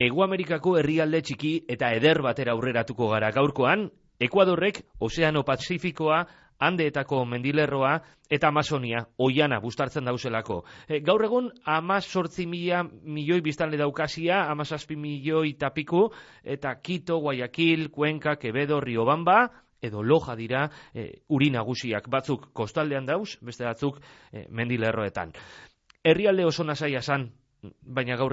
Hego Amerikako herrialde txiki eta eder batera aurreratuko gara gaurkoan, Ekuadorrek Ozeano Pazifikoa, Andeetako mendilerroa eta Amazonia, oiana bustartzen dauzelako. Gaur egun 18.000 milioi biztanle daukasia, 17 milioi tapiku, eta Quito, Guayaquil, Cuenca, Quevedo, Riobamba, edo Loja dira uri nagusiak, batzuk kostaldean dauz, beste batzuk mendilerroetan. Herrialde oso nasaia san, baina gaur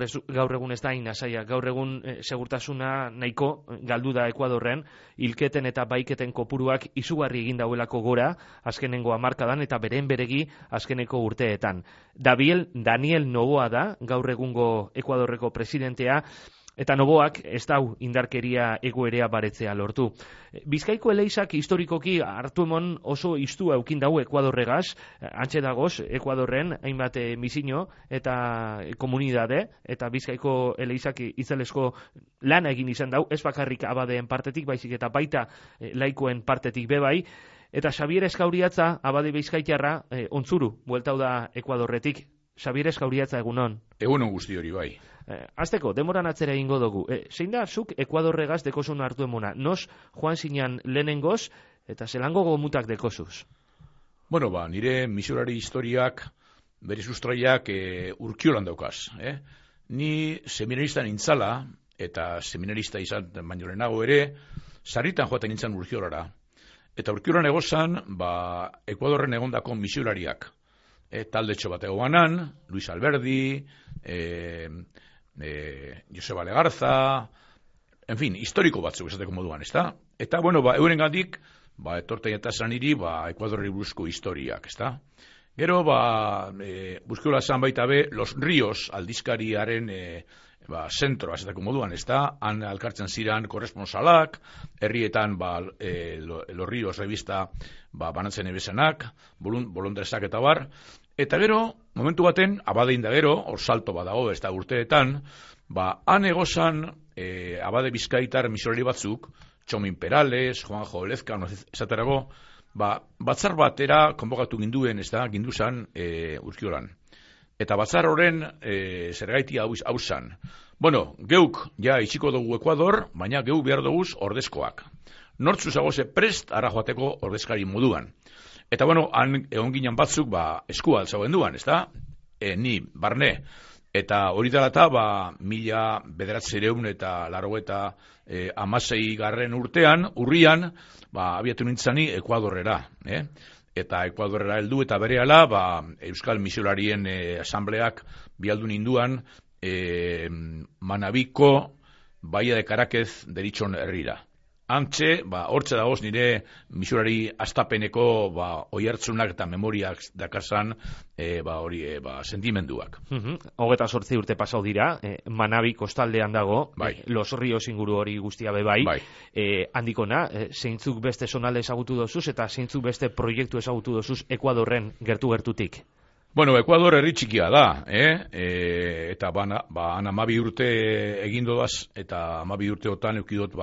egun ez da nasaia, gaur egun segurtasuna nahiko galdu da Ekuadorren, hilketen eta baiketen kopuruak izugarri egin dauelako gora, azkenengo hamarkadan eta beren beregi azkeneko urteetan. Daniel Noboa da, gaur egungo Ekuadorreko presidentea, eta Noboak ez dau indarkeria egoerea baretzea lortu. Bizkaiko eleizak historikoki hartuemon oso istua eukin dau Ekuadorregaz, antxe dagoz Ekuadorren hainbat misino eta komunidade, eta Bizkaiko eleizak itzelesko lana egin izan dau, ez bakarrik abadeen partetik, baizik eta baita laikoen partetik bebai, eta Xabier Eskauriatza, abade bizkaitarra, ontzuru, bueltau da Ekuadorretik. Xabier Eskauriatza, egunon. Egunon guzti hori bai. Azteko, demoran atzera egingo dugu. Zein da, zuk Ekuadorregaz dekozun hartu emona? Nos joan zinan lehenengoz, eta zelango gomutak dekozuz? Bueno, nire misurari historiak, bere sustraiak Urkiolan daukaz. Ni seminarista nintzala, eta seminarista izan baino lehenago ere, sarritan joaten nintzen Urkiolara. Eta Urkiolan egozan, Ekuadorren egondako misurariak. Taldetxo bat egoanan, Luis Alberdi, Joseba Legarza, en fin, historiko batzuk esateko moduan, ezta? Eta, bueno, euren gandik, etorten eta esan iri, Ekuadorri buruzko historiak, ezta? Gero, Urkiola zan baita be, Los Ríos aldizkariaren zentroa esateko moduan, ezta? Han alkartzen ziren korresponsalak, herrietan, Los Ríos revista banatzen ebesenak, bolondrezak eta bar, eta gero, momentu baten, abadein da gero, hor salto badago, ez da urteetan, han egozan abade bizkaitar misorari batzuk, Txomin Perales, Juanjo Olezka, esaterago, batzar batera konbokatu ginduen, ez da, ginduzan Urkiolan. Eta batzar horren zergaiti hau zan. Bueno, geuk ja itxiko dugu Ekuador, baina geuk behar duguz ordezkoak. Nortzu zagoze prest ara joateko ordezkari moduan. Eta bueno, han egon ginen batzuk eskua altzagoen duan, ez da? Ni, barne. Eta hori dela eta 1900 eta 1986 urtean, urrian, abiatu nintzani Ekuadorrera. Eta Ekuadorrera heldu eta berehala Euskal Misiolarien asambleak bialdu ninduan Manabiko Bahia de Caráquez deritxon herrira. Antxe, hortze dagoz nire misurari astapeneko oihartzunak eta memoriak dakazan sentimenduak. 28 urte pasau dira, Manabi kostaldean dago, Los Ríos inguru hori guztia bebai, handikona, zeintzuk beste zonalde ezagutu dozuz eta zeintzuk beste proiektu ezagutu dozuz Ekuadorren gertu-gertutik? Bueno, Ekuador herri txikia da, eta han 12 urte egin dodaz, eta 12 urteotan eukidot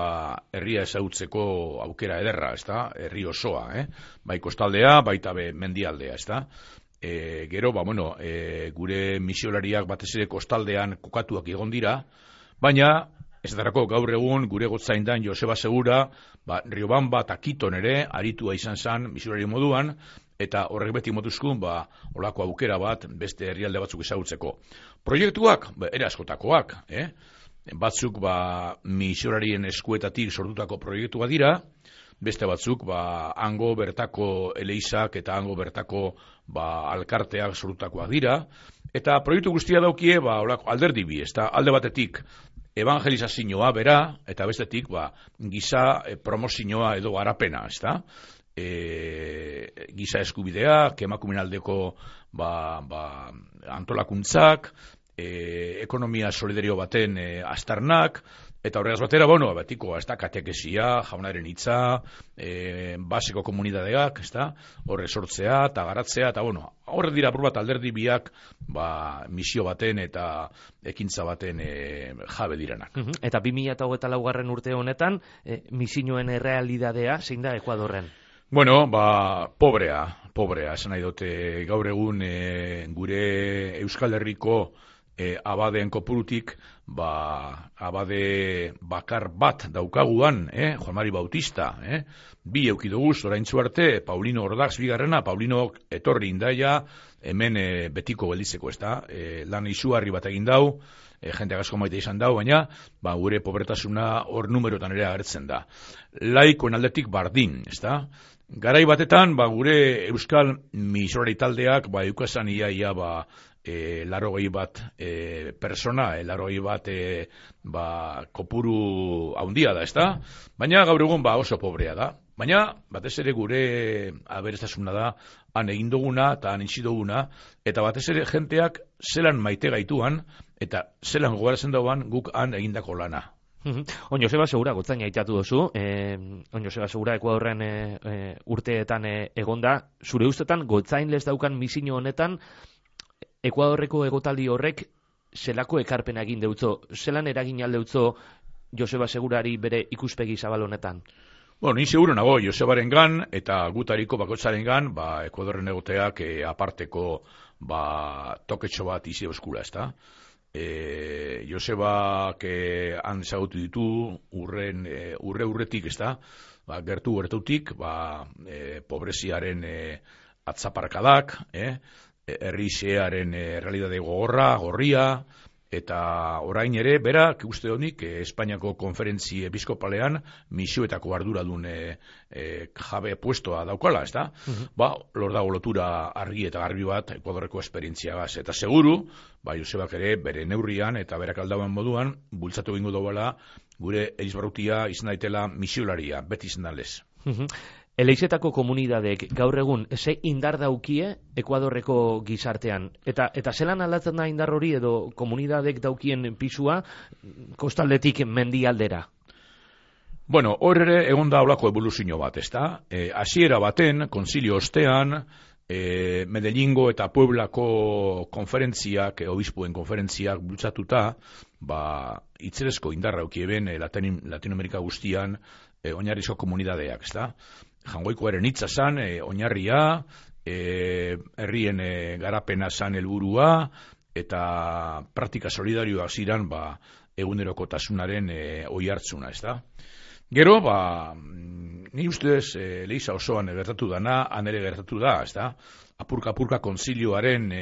herria ezagutzeko aukera ederra, ezta? Herri osoa, bai kostaldea, baita mendialdea, ezta? Gero, gure misiolariak batez ere kostaldean kokatuak egon dira, baina, ez darako gaur egun gure gotzaindan Joseba Segura, Riobamba eta Quiton ere, aritua izan zen misiolari moduan, eta horrek beti motuzkun, olako aukera bat, beste herrialde batzuk ezagutzeko. Proiektuak, ere askotakoak, batzuk, misiolarien eskuetatik sortutako proiektua dira, beste batzuk, hango bertako eleizak eta hango bertako alkarteak sortutakoak dira, eta proiektu guztia daukie, olako alderdi bi, alde batetik, evangelizazioa bera, eta bestetik, giza promozioa edo garapena, ezta? Giza eskubideak, emakumeen aldeko antolakuntzak, ekonomia solidario baten aztarnak, eta horregaz batera, betiko, katekesia, jaunaren hitza, baseko komunidadeak, horre sortzea eta garatzea, eta horre dira bat alderdi biak misio baten eta ekintza baten jabe direnak. Eta 2024 urte honetan, misioen errealidadea zein da Ekuadorren? Bueno, pobrea, esan nahi dute gaur egun gure Euskal Herriko abadeen kopurutik, abade bakar bat daukaguan, Juan Mari Bautista, bi eukidoguz, oraintzu arte, Paulino Ordax bigarrena, Paulino etorri indaia, hemen betiko gelditzeko, ez da, lan izugarri bat egin dau, jente asko maite izan dau, baina gure pobretasuna hor numerotan ere agertzen da. Laikoen aldetik bardin, ez da? Garai batetan, gure euskal misorari taldeak, eukasan ia, 80 bat persona, 80 bat kopuru haundia da, ez da? Baina gaur egun oso pobrea da. Baina, batez ere gure aberastasuna da, han egin duguna eta han itxi duguna, eta batez ere jenteak zelan maite gaituan, eta zelan gogoratzen dauan guk han egindako lana. On Joseba Segura, gotzaina aitatu duzu, On Joseba Segura Ekuadorren urteetan egonda, zure ustetan gotzain les daukan misio honetan, Ekuadorreko egotaldi horrek zelako ekarpena egin deutzo, zelan eragin aldeutzo Joseba Segurari bere ikuspegi zabal honetan? Bueno, ni seguro nago Josebaren gan, eta gutariko bakotzaren gan, Ekuadorren egoteak aparteko toketxo bat izi euskura, ez da? Josebak han ezagutu ditu urretik, ez da? Gertutik, pobreziaren atzaparkadak, herrisearen realidade gorria, eta orain ere, berak, uste honik, Espainiako konferentzi episkopalean misioetako arduradun jabe puestoa daukala, ez da? Lor dago lotura argi eta garbi bat Ekuadorreko esperientziagaz. Eta seguru, Josebak ere, bere neurrian eta berak aldauen moduan, bultzatu egingo dagoela, gure Erizbarrutia izan daitela misiolaria, beti izan dalez. Eleixetako komunidadek gaur egun ze indar daukie Ekuadorreko gizartean? Eta zelan aldatzen da indar hori edo komunidadek daukien pisua kostaldetik mendialdera? Bueno, hor ere egon da holako evoluzio bat, ez da? Hasiera baten, konzilio ostean, Medellingo eta Pueblako konferentziak, obispuen konferentziak bultzatuta, itzerezko indarra aukieben Latinoamerika guztian oinarrizko komunidadeak, ez da? Jangoikoaren hitza zan, oinarria, herrien garapena zan helburua, eta praktika solidarioak ziren egunerokotasunaren oihartzuna, ez da? Gero, ni ustez, Leiza osoan gertatu dana, han ere gertatu da, ez da? Apurka konzilioaren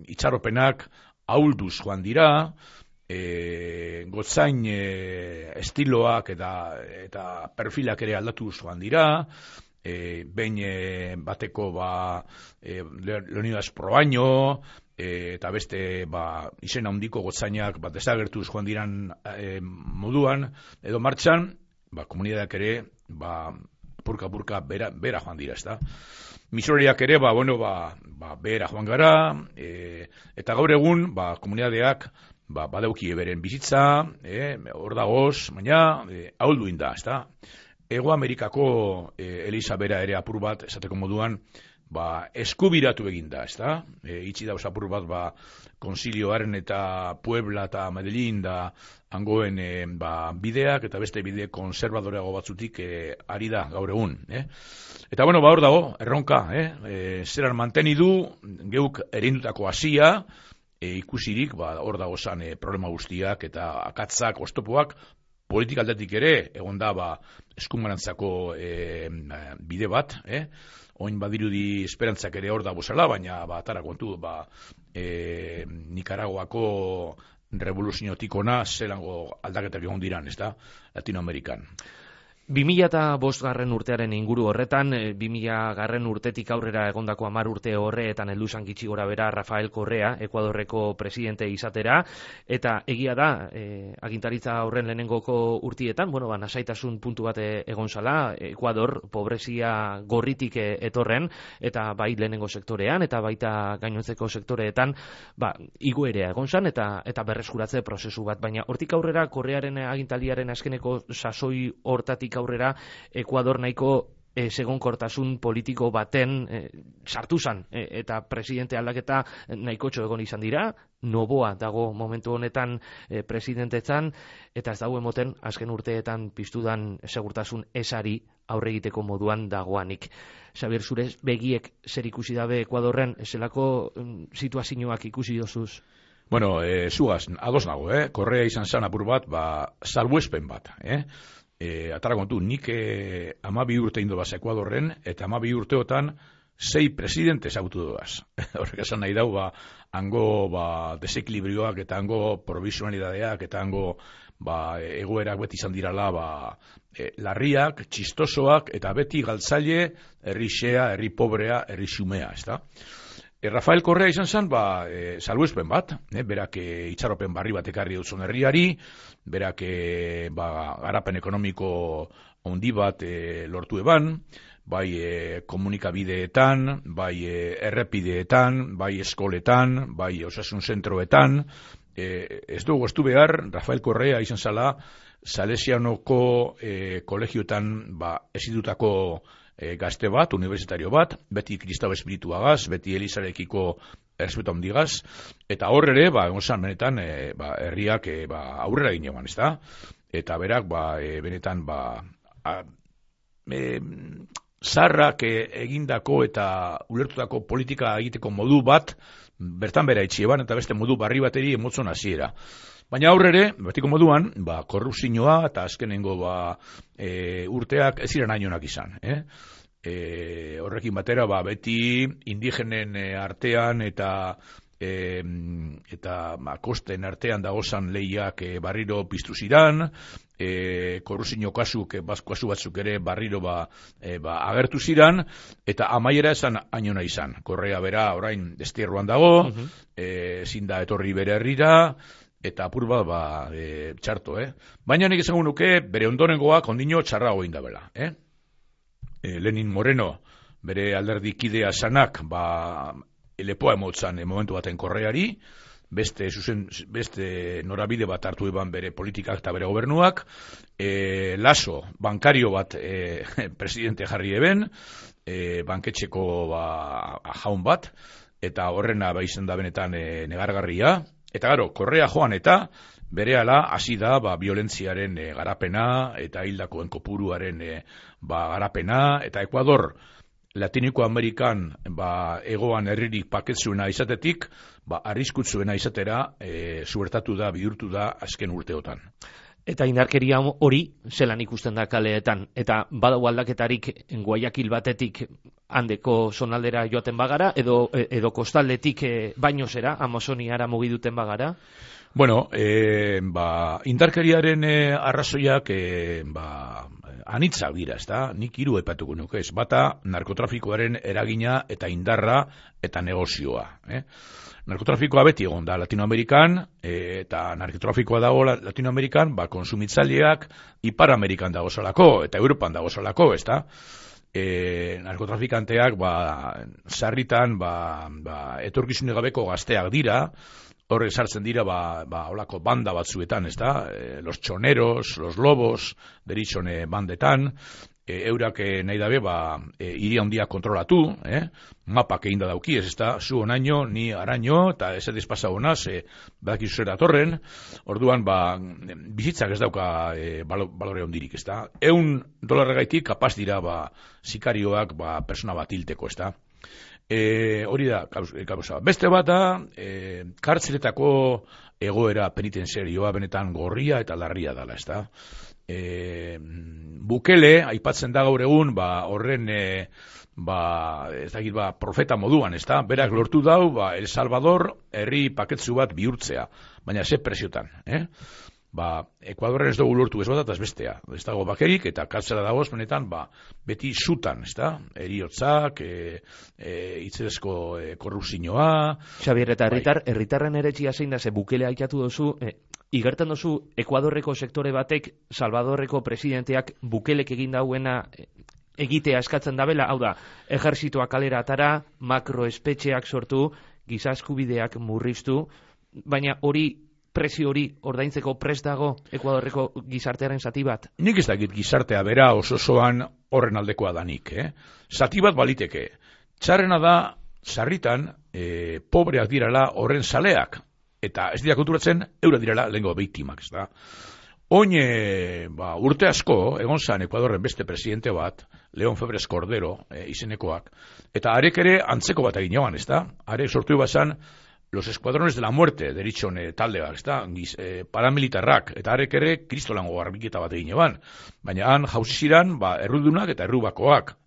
itxaropenak ahulduz joan dira, gotzain estiloak eta perfilak ere aldatu joan dira, behin bateko Leonidas Proaño, eta beste izen handiko gotzainak desagertuz joan diran moduan, edo martxan, komunidadeak ere purka bera joan dira, ez da? Misorariak ere, bera joan gara, eta gaur egun, komunidadeak badauki beren bizitza, hor dagoz, baina ahuldu inda, ez da? Ego Amerikako Eliza bera ere apur bat, esateko moduan, eskubiratu eginda, ez da? Itxi dauz apur bat, konzilioaren eta Puebla eta Medellín da hangoen bideak, eta beste bide konservadoreago batzutik ari da gaur egun. Eta hor dago, erronka, zeran mantenidu, geuk erindutako hasia, ikusirik, hor dago zan problema guztiak eta akatzak, oztopoak, politika aldetik ere, egon da eskumarantzako bide bat, oin badirudi esperantzak ere hor da bozala, baina atara kontu, Nikaraguako revoluziotik ona zelango aldaketak egon diran, ez da, Latinoamerikan. 2005 urtearen inguru horretan, 2000 urtetik aurrera egondako 10 urte horreetan heldu zan gitxi gora bera Rafael Correa, Ekuadorreko presidente izatera, eta egia da, agintaritza horren lehenengoko urtietan, nasaitasun puntu bat egon zala, Ekuador pobrezia gorritik etorren, eta bai lehenengo sektorean, eta baita gainontzeko sektoreetan, igoerea egon zan, eta berreskuratze prozesu bat, baina hortik aurrera Correaren agintaliaren azkeneko sasoi hortatik aurrera Ekuador nahiko segonkortasun politiko baten sartu zan, eta presidente aldaketa nahiko egon izan dira, Noboa dago momentu honetan presidentetzan, eta ez dago emoten azken urteetan piztudan segurtasun esari aurre egiteko moduan dagoanik. Xabier, zure begiek zer ikusi dabe Ekuadorren, zelako situazioak ikusi dozuz? Bueno, zugaz, ados nago, Korrea izan zan apur bat, salbuespen bat, atara kontu, nik 12 urte indo baz Ekuadorren, eta 12 urteotan 6 presidente ezagutu doaz. Horrek esan nahi dau, hango desekilibrioak eta hango provisionalidadeak eta hango egoerak beti izan dirala larriak, txistosoak eta beti galtzaile, herri xea, herri pobrea, herri xumea, ez da? Rafael Correa izan zen, salbuespen bat, berak itxaropen barri bat ekarri duzun herriari, berak garapen ekonomiko handi bat lortu eban, bai komunikabideetan, bai errepideetan, bai eskoletan, bai osasun zentroetan. Ez dugu estu behar, Rafael Correa izan zala, Salesianoko kolegioetan ezidutako gazte bat, universitario bat, beti kristau espirituagaz, beti elizarekiko errespetu handigaz, eta hor ere, egon benetan, herriak aurrera ginean, ez da? Eta berak, benetan, zarrak egindako eta ulertutako politika egiteko modu bat, bertan bera itxieban, eta beste modu barri bateri emotzon hasiera. Baina aurrere, betiko moduan, korrupzioa eta azkenengo urteak ez ziren hainonak izan. Horrekin batera, beti indigenen artean eta kosten artean dagozan lehiak barriro piztu ziran, korrupzio kasu batzuk ere barriro agertu ziran, eta amaiera esan hainona izan. Korrea bera orain destierroan dago, ezin da etorri bere herrira, eta apur bat txarto, Baina nik esango nuke bere ondorengoak ondino txarrago indabela, Lenin Moreno, bere alderdikidea sanak, lepoa emotzan momentu baten Korreari, beste norabide bat hartu eban bere politikak eta bere gobernuak, Lasso, bankario bat presidente jarri eben, banketxeko jaun bat, eta horrena izan da benetan negargarria, eta gero, Korrea joan eta berehala hasi da violentziaren garapena eta hildakoen kopuruaren garapena, eta Ekuador Latiniko Amerikan egoan herririk paketzuena izatetik, arriskutzuena izatera zuertatu da, bihurtu da azken urteotan. Eta indarkeria hori zelan ikusten da kaleetan, eta badago aldaketarik Guayaquil batetik handeko zonaldera joaten bagara, edo kostaldetik baino zera, Amazoniara mugiduten bagara? Bueno, indarkeriaren arrazoiak anitzak dira, ez da? Nik 3 aipatuko nuke, ez? Bata, narkotrafikoaren eragina eta indarra eta negozioa. Narkotrafikoa beti egon da Latinoamerikan, eta narkotrafikoa dago Latinoamerikan, konsumitzaileak Ipar Amerikan dagozalako, eta Europan dagozalako, ez da? Narkotrafikanteak, sarritan, etorkizunik gabeko gazteak dira, horre sartzen dira, holako banda batzuetan, ez da? Los choneros, los lobos, deritzone bandetan, eurak nahi dabe, hiri handia kontrolatu, mapak egin da dauki, ez da, zu onaino, ni araño, eta ez ediz pasa honaz, badakizu zera torren, orduan, bizitzak ez dauka balore hondirik, ez da. $1 gaitik kapaz dira, sikarioak, persona bat hilteko, ez da. Hori da, kausa. Beste bat da, kartzeletako egoera penitenzerioa benetan gorria eta larria dela, ez da. Bukele, aipatzen da gaur egun, horren, profeta moduan, ez da, berak lortu dau, El Salvador herri paketzu bat bihurtzea, baina ze presiotan, Ekuadorren ez dugu lortu ez bat eta ez bestea, ez dago bakerik, eta kartzela dagoz, benetan, beti zutan, ez da, eriotzak, itzerezko korrupzioa. Xabier, eta herritarren eretxia zein da, ze Bukele aikatu dozu, igertan dozu Ekuadorreko sektore batek, Salvadorreko presidenteak Bukelek egin dauena egitea eskatzen dabela, hau da, ejerzitoa kalera atara, makroespetxeak sortu, giza eskubideak murriztu, baina presio hori ordaintzeko prest dago Ekuadorreko gizartearen zati bat? Nik ez dakit gizartea bera osoan horren aldekoa danik, Zati bat baliteke. Txarrena da, sarritan, pobreak dirala horren saleak, eta ez dira konturatzen, eura dirala lehenko biktimak, ez da. Oin, urte asko, egon zan Ekuadorren beste presidente bat, León Febres Cordero, izenekoak, eta arek ere antzeko bat egin joan, ez da. Arek sortu bazan, los escuadrones de la muerte, deritzon taldeak, ezta, paramilitarrak, eta harek ere kristolango garbiketa bat egin eban. Baina han jauzi ziran, errudunak eta errubakoak,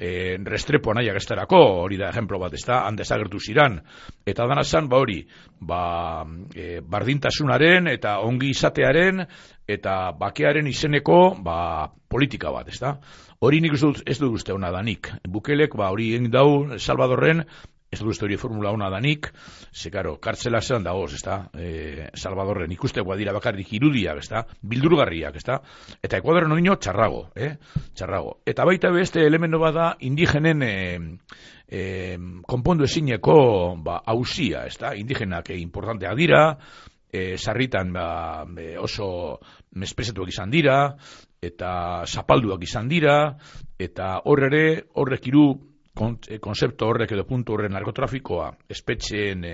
Restrepo nahiak estarako, hori da ejemplo bat, ezta, han desagertu ziran. Eta dana zan, hori, bardintasunaren eta ongi izatearen eta bakearen izeneko, politika bat, ezta. Hori nik ez dut uste hona danik. Bukelek, hori egin dau, Salvadorren, ez dut uste hori formula hona danik, karo, kartzela zelan dagoz, ezta, Salvadorren ikuste dira bakarrik irudiak, ezta, bildurgarriak, ezta, eta Ekuadorren odino txarrago, txarrago. Eta baita beste elemento bada indigenen konpondu ezineko hauzia, ezta, indigenak importanteak dira, sarritan oso mespresetuak izan dira, eta zapalduak izan dira, eta horrek hiru konzeptu horrek edo puntu horren narkotrafikoa, espetxeen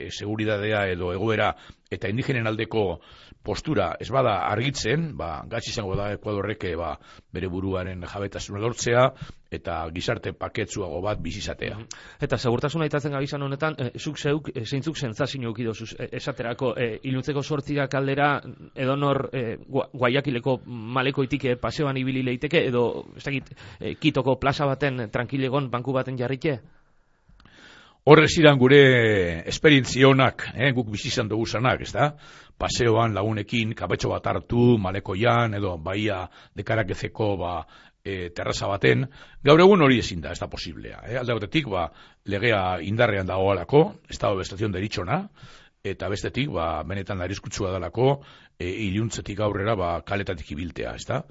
seguridadea edo egoera eta indigenen aldeko postura ez bada argitzen, gatz izango da Ekuadorrek bere buruaren jabetasuna lortzea eta gizarte paketsuago bat bizizatea. Eta segurtasuna aitatzen gabizan honetan, zuk zeuk, zeintzuk sentsazio ukidozuz, esaterako, iluntzeko 8 kaldera edonor Guayaquileko malekoitik paseoan ibili leiteke, edo ez dakit, Kitoko plaza baten tranquilegon banku baten jarrike? Horrez iran gure esperientzionak, guk bizizan dugu zanak, ez da? Paseoan lagunekin, kapetxo bat hartu, malekoian, edo baia dekarakezeko, terraza baten, gaur egun hori ezin da, ez da posiblea. Alde batetik, legea indarrean dagoalako, estado de estación deritzona, eta bestetik, benetan arriskutsua dalako, iluntzetik aurrera, kaletatik ibiltea, ez da?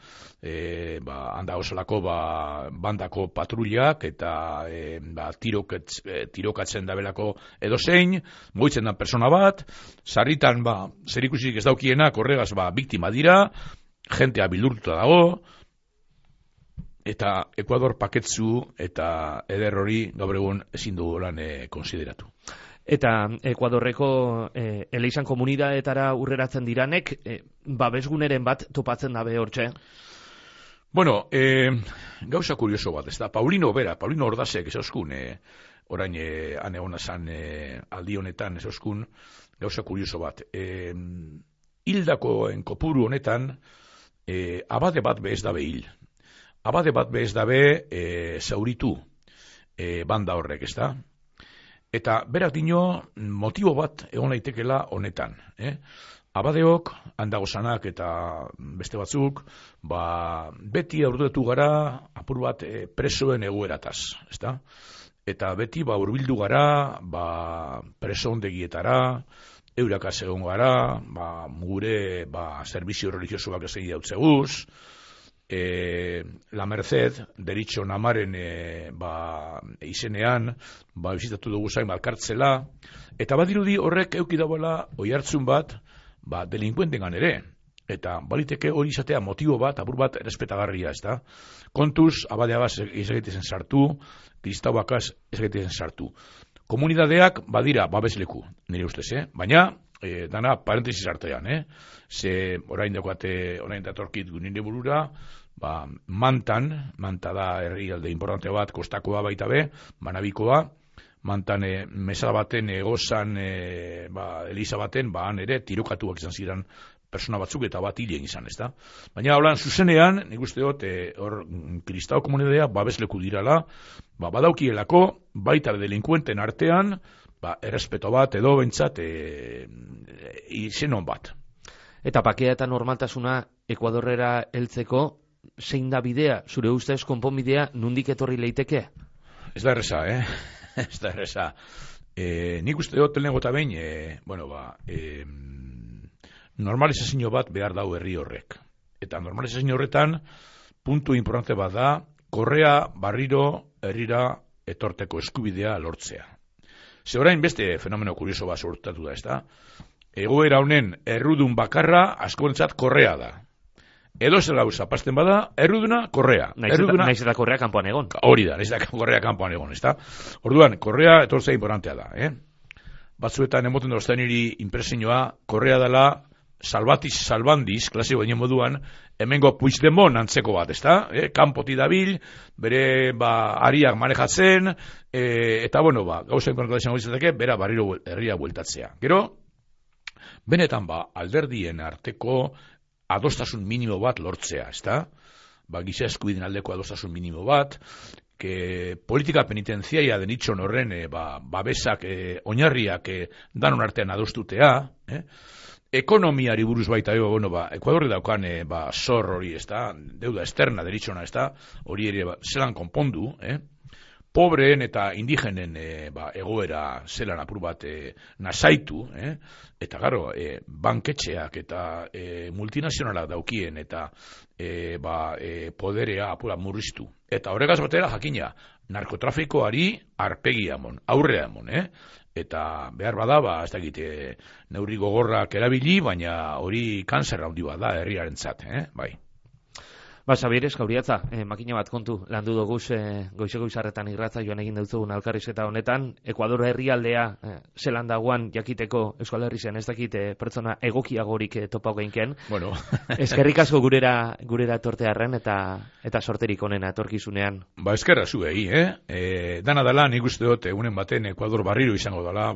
Handa osolako, bandako patrullak, eta tirokatzen dabelako edozein, moitzen da persona bat, sarritan, zer ikusik ez daukienak, horregaz, biktima dira, jentea bildurtuta dago, eta Ekuador paketzu eta eder hori gaur egun ezin dugu lan konsideratu. Eta Ekuadorreko eleizan komunidadeetara urreratzen diranek, babesguneren bat topatzen dabe hortxe? Bueno, gauza kurioso bat, ez da, Paulino Ordazek ez euskun, orain anegona zan aldi honetan ez euskun, gauza kurioso bat. Hildakoen kopuru honetan, abade bat bez dabe hil. Abade bat bez dabe zauritu banda horrek, ez da? Eta berak dino motibo bat egon daitekela honetan. Abadeok, handagozanak eta beste batzuk, beti aurduetu gara apur bat presoen egoerataz, ez da? Eta beti hurbildu gara preso ondegietara, eurakaz egon gara, gure servizio religiosoak ez egin dautzeguz, La Merced, deritxo namaren izenean, bizitatu dugu zain malkartzela, eta badirudi horrek eukidaboela oihartzun bat, delinkuentengan ere, eta baliteke hori izatea motibo bat, apur bat errespetagarria, ez da? Kontuz, abadeagaz ez egitezen sartu, kristauakaz ez egitezen sartu. Komunidadeak badira babesleku, nire ustez, baina, dana parentesis artean, ze orain datorkit nire burura, Manta da herrialde importante bat, kostakoa baita be, Manabikoa, Mantan mesa baten, egozan, eliza baten, han ere tirokatuak izan ziren persona batzuk eta bat hilien izan, ez da? Baina holan zuzenean, nik uste dut, hor kristau komunidadea babesleku dirala, badaukielako, baita delinkuenten artean, errespeto bat edo bentsat izenon bat. Eta pakea eta normaltasuna Ekuadorrera heltzeko, zein da bidea, zure ustez konponbidea nundik etorri leiteke? Ez da erresa, ez da erresa. Nik uste dut lehenengo eta behin, normalizazio bat behar dau herri horrek. Eta normalizazio horretan, puntu importante bat da, korrea barriro herrira etorteko eskubidea lortzea. Ze orain beste fenomeno kurioso bat sortatu da, ez da? Egoera honen errudun bakarra askorentzat korrea da. Edo zer gauza, pasten bada, erruduna, korrea. Naiz eta korrea kanpoan egon. Hori da, naiz eta korrea kanpoan egon, ez da? Orduan, korrea etortzea importantea da, Batzuetan emoten dozten niri impresioa, korrea dela salbandiz, klasiko baino moduan, hemengo Puigdemont antzeko bat, ezta? Kanpoti dabil, bere ariak manejatzen, eta bueno, gauzen koneko desan izateke, bera barriro herria bueltatzea. Gero, benetan alderdien arteko adostasun minimo bat lortzea, ezta? Giza eskubideen aldeko adostasun minimo bat, politika penitenziaria denitxon horren babesak, oinarriak danon artean adostutea, ekonomiari buruz baita, Ekuadorri daukan zor hori, ezta? Deuda externa deritxona, ezta? Hori ere zelan konpondu, pobreen eta indigenen egoera zelan apur bat nasaitu, eta garo, banketxeak eta multinazionalak daukien eta poderea apura murriztu. Eta horregaz batera jakina, narkotrafikoari arpegia emon, aurrea emon, eta behar bada, ez dakit, neurri gogorrak erabili, baina hori kanzerra handi bada herriarentzat, bai. Xabier Eskauriatza, makina bat kontu landu doguz goizeko izarretan irratza joan egin dutzugun alkarrizketa honetan, Ekuador herrialdea zelan dagoan jakiteko Euskal Herrian ez dakit pertsona egokiagorik topau geinken. Bueno. Eskerrik asko gurera etortearren eta sorterik onena etorkizunean. Eskerra zuei, dana dela nik uste dut egunen baten Ekuador barriro izango dela,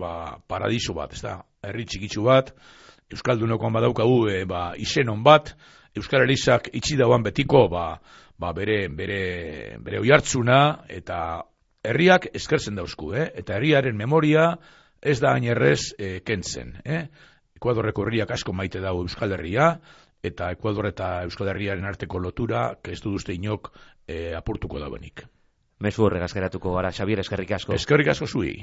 paradiso bat, ez da, herri txikitsu bat, Euskaldunokoan badaukagu izenon bat, Euskal Herrizak itxi dauan betiko bere oihartzuna eta herriak eskertzen dauzku, eta herriaren memoria ez da hain errez kentzen. Ekuadorreko herriak asko maite dago Euskal Herria, eta Ekuador eta Euskal Herriaren arteko lotura, ez du duzte inok apurtuko dauenik. Mezu horregaz geratuko gara, Xabier, eskerrik asko. Eskerrik asko zui.